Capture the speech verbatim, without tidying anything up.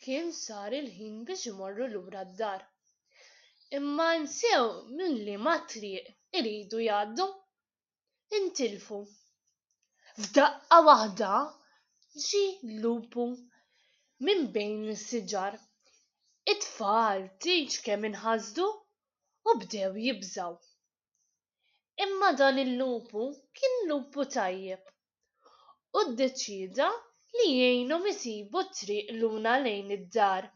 Kien sar il-ħin biex imorru lura d-dar. Imma nsew minn liema triq iridu jgħaddu. Intilfu. F'daqqa waħda ġie lupu minn bejn is-siġar. It-tfal tgħidx kemm inħasdu u bdew jibżgħu. Imma dan il-lupu kien lupu tajjeb u ddeċieda li jgħinhom isibu t-triq lura lejn id-dar.